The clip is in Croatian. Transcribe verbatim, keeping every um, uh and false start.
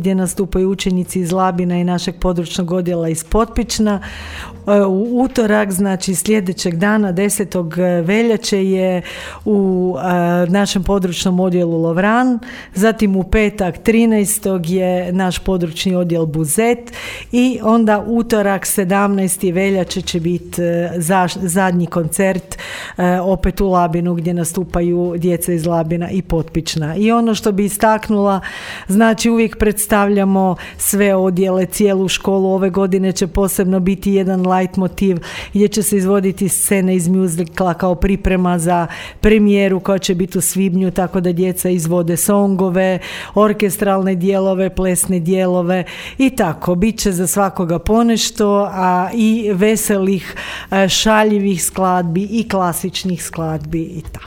gdje nastupaju učenici iz Labina i našeg područnog odjela iz Potpična. U utorak, znači sljedećeg dana, desetog veljače je u našem područnom odjelu Lovran, zatim u petak trinaestog je naš područni odjel Buzet i onda utorak sedamnaestog veljače će biti zadnji koncert opet u Labinu gdje nastupaju djeca iz Labina i Potpična. I ono što bi istaknula, znači uvijek predstavljamo sve odjele, cijelu školu. Ove godine će posebno biti jedan light motiv gdje će se izvoditi scene iz muzikla kao priprema za premijeru koja će biti u svibnju, tako da djeca izvode songove, orkestralne dijelove, plesne dijelove i tako. Biće za svakoga ponešto, a i veselih, šaljivih skladbi i klasičnih skladbi i tako.